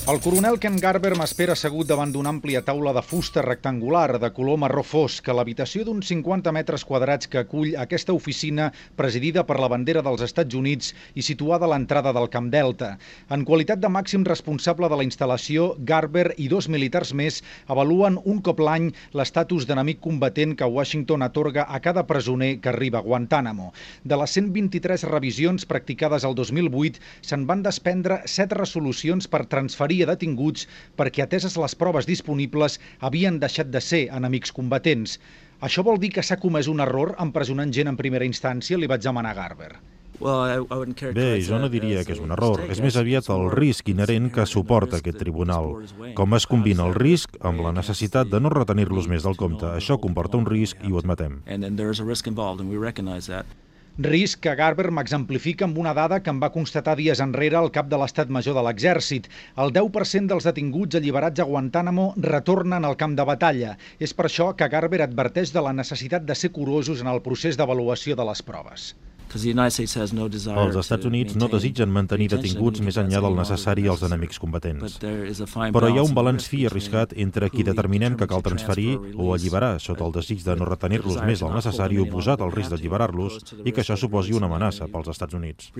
El coronel Ken Garber m'espera assegut davant d'una àmplia taula de fusta rectangular de color marró fosc a l'habitació d'uns 50 metres quadrats que acull aquesta oficina presidida per la bandera dels Estats Units i situada a l'entrada del Camp Delta. En qualitat de màxim responsable de la instal·lació, Garber i 2 militars més avaluen un cop l'any l'estatus d'enemic combatent que Washington atorga a cada presoner que arriba a Guantánamo. De les 123 revisions practicades el 2008, se'n van desprendre 7 resolucions per transferir a detinguts perquè, ateses les proves disponibles, havien deixat de ser enemics combatents. Això vol dir que s'ha comès un error empresonant gent en primera instància, li vaig demanar a Garber. Bé, jo no diria que és un error. És més aviat el risc inherent que suporta aquest tribunal. Com es combina el risc amb la necessitat de no retenir-los més del compte. Això comporta un risc i ho admetem. Risc que Garber m'exemplifica amb una dada que em va constatar dies enrere el cap de l'Estat Major de l'Exèrcit. El 10% dels detinguts alliberats a Guantánamo retornen al camp de batalla. És per això que Garber adverteix de la necessitat de ser curosos en el procés d'avaluació de les proves. Els Estats Units no desitgen mantenir detinguts més enllà del necessari als enemics combatents. Però hi ha un balanç fi i arriscat entre qui determinem que cal transferir o alliberar sota el desig de no retenir-los més del necessari oposat al risc d'alliberar-los i que això suposi una amenaça pels Estats Units.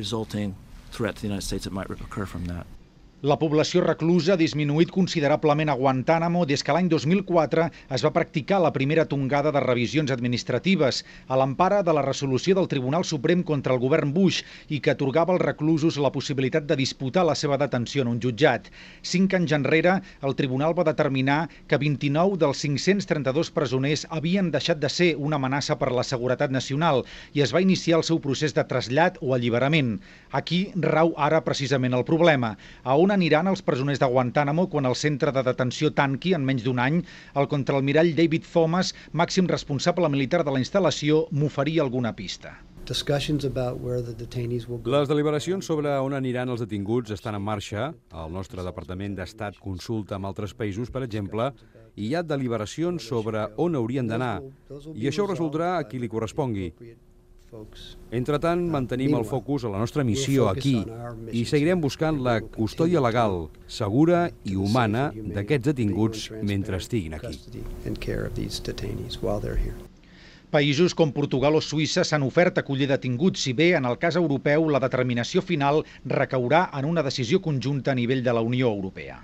La població reclusa ha disminuït considerablement a Guantánamo des que l'any 2004 es va practicar la primera tongada de revisions administratives a l'empara de la resolució del Tribunal Suprem contra el govern Bush i que atorgava als reclusos la possibilitat de disputar la seva detenció en un jutjat. 5 anys enrere, el tribunal va determinar que 29 dels 532 presoners havien deixat de ser una amenaça per la seguretat nacional i es va iniciar el seu procés de trasllat o alliberament. Aquí rau ara precisament el problema. A on aniran els presoners de Guantánamo quan el centre de detenció tanqui en menys d'un any? El contraalmirall David Thomas, màxim responsable militar de la instal·lació, m'oferia alguna pista. Les deliberacions sobre on aniran els detinguts estan en marxa. El nostre Departament d'Estat consulta amb altres països, per exemple, i hi ha deliberacions sobre on haurien d'anar. I això ho resoldrà a qui li correspongui. Entretant, mantenim el focus a la nostra missió aquí i seguirem buscant la custòdia legal, segura i humana d'aquests detinguts mentre estiguin aquí. Països com Portugal o Suïssa s'han ofert a acollir detinguts, si bé en el cas europeu la determinació final recaurà en una decisió conjunta a nivell de la Unió Europea.